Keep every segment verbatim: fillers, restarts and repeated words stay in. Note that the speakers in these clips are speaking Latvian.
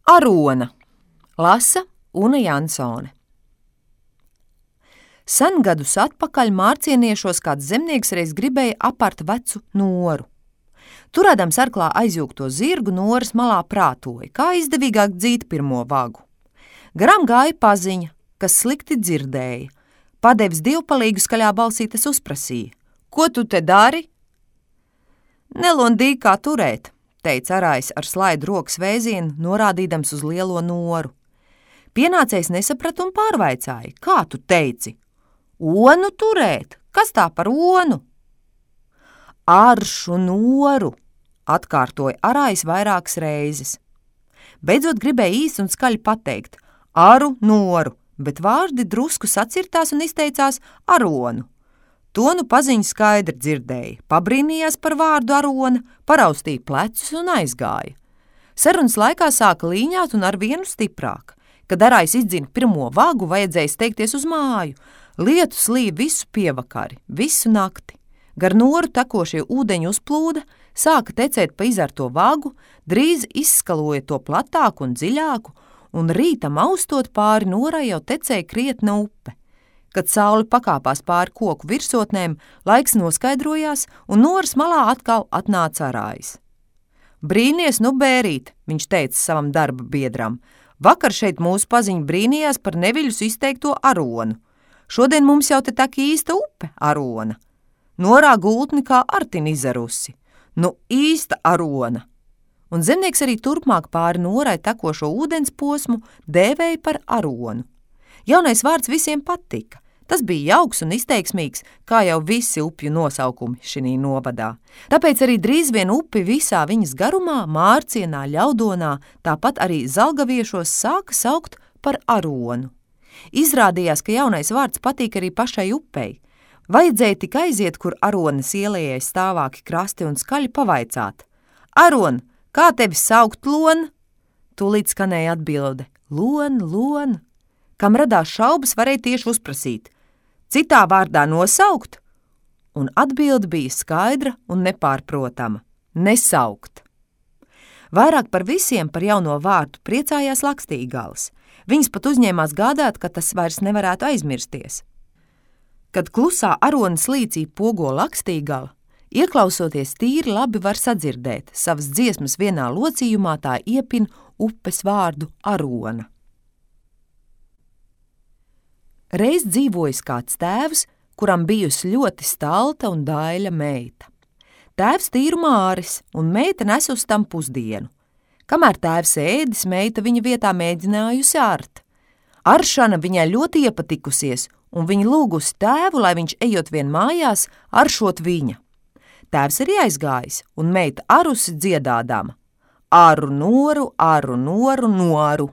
Arona lasa Una Jansone. Sen gadus atpakaļ mārcieniešos kāds zemnieks reiz gribēja apart vecu noru. Turēdams arklā aizjūgto zirgu, noras malā prātoja, kā izdevīgāk dzīt pirmo vagu. Garām gāja paziņa, kas slikti dzirdēja. Padevis divpalīgu skaļā balsī tas uzprasīja: "Ko tu te dari?" "Nelondīgi kā turēt," teica arājs ar slaidu rokas vēzienu, norādīdams uz lielo noru. Pienācējs nesaprata un pārvaicāja: "Kā tu teici?" "Onu turēt. Kas tā par onu?" "Aršu noru," atkārtoja arājs vairākas reizes. Beidzot gribēja īsi un skaļi pateikt: "Aru noru," bet vārdi drusku sacirtās un izteicās aronu. To nu paziņu skaidri dzirdēja, pabrīnījās par vārdu arona, paraustīja plecus un aizgāja. Sarunas laikā sāka līņāt un ar vienu stiprāk. Kad arājs izdzina pirmo vagu, vajadzēja steigties uz māju. Lietus līja visu pievakari, visu nakti. Gar noru tekošie ūdeņi uzplūda, sāka tecēt pa izarto vagu, drīz izskaloja to platāku un dziļāku, un rītam austot pāri norai jau tecēja krietna upe. Kad saule pakāpās pāri koku virsotnēm, laiks noskaidrojās, un noras malā atkal atnāca arājs. "Brīnies, nu bērīt," viņš teica savam darba biedram. "Vakar šeit mūsu paziņa brīnījās par neviļus izteikto aronu. Šodien mums jau te tak īsta upe arona. Norā gultni kā artin izarusi. Nu īsta arona." Un zemnieks arī turpmāk pāri norai tekošo ūdens posmu dēvēja par aronu. Jaunais vārds visiem patika. Tas bija jauks un izteiksmīgs, kā jau visi upju nosaukumi šinī novadā. Tāpēc arī drīz vien upi visā viņas garumā, Mārcienā, Ļaudonā, tāpat arī Zalgaviešos sāka saukt par aronu. Izrādījās, ka jaunais vārds patīk arī pašai upei. Vajadzēja tik aiziet, kur aronas ielējai stāvāki krasti un skaļi pavaicāt: "Aron, kā tevi saukt, lon?" Tūlīt skanēja atbilde: "Lon, lon." Kam radās šaubas, varēja tieši uzprasīt: "Citā vārdā nosaukt?" Un atbilde bija skaidra un nepārprotama: nesaukt. Vairāk par visiem par jauno vārdu priecājās Lakstīgals. Viņas pat uzņēmās gādāt, ka tas vairs nevarētu aizmirsties. Kad klusā aronas līcī pogo Lakstīgala, ieklausoties tīri labi var sadzirdēt, savas dziesmas vienā locījumā tā iepina upes vārdu arona. Reiz dzīvojis kāds tēvs, kuram bijusi ļoti stalta un daļa meita. Tēvs tīru māris, un meita nes uz tam pusdienu. Kamēr tēvs ēdis, meita viņa vietā mēģinājusi art. Aršana viņai ļoti iepatikusies, un viņa lūgusi tēvu, lai viņš ejot vien mājās, aršot viņa. Tēvs arī aizgājis, un meita arusi dziedādama: "Aru noru, aru noru, noru."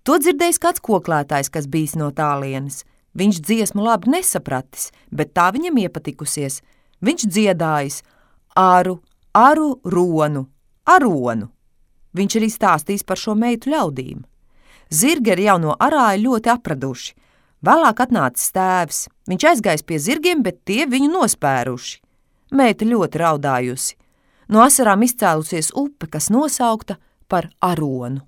To dzirdējis kāds koklētājs, kas bijis no tālienes. Viņš dziesmu labi nesapratis, bet tā viņam iepatikusies. Viņš dziedājis: "Aru, aru, ronu, aronu." Viņš arī stāstīs par šo meitu ļaudīm. Zirgi ar jauno arāju ļoti apraduši. Vēlāk atnācis tēvs. Viņš aizgājis pie zirgiem, bet tie viņu nospēruši. Meita ļoti raudājusi. No asarām izcēlusies upe, kas nosaukta par aronu.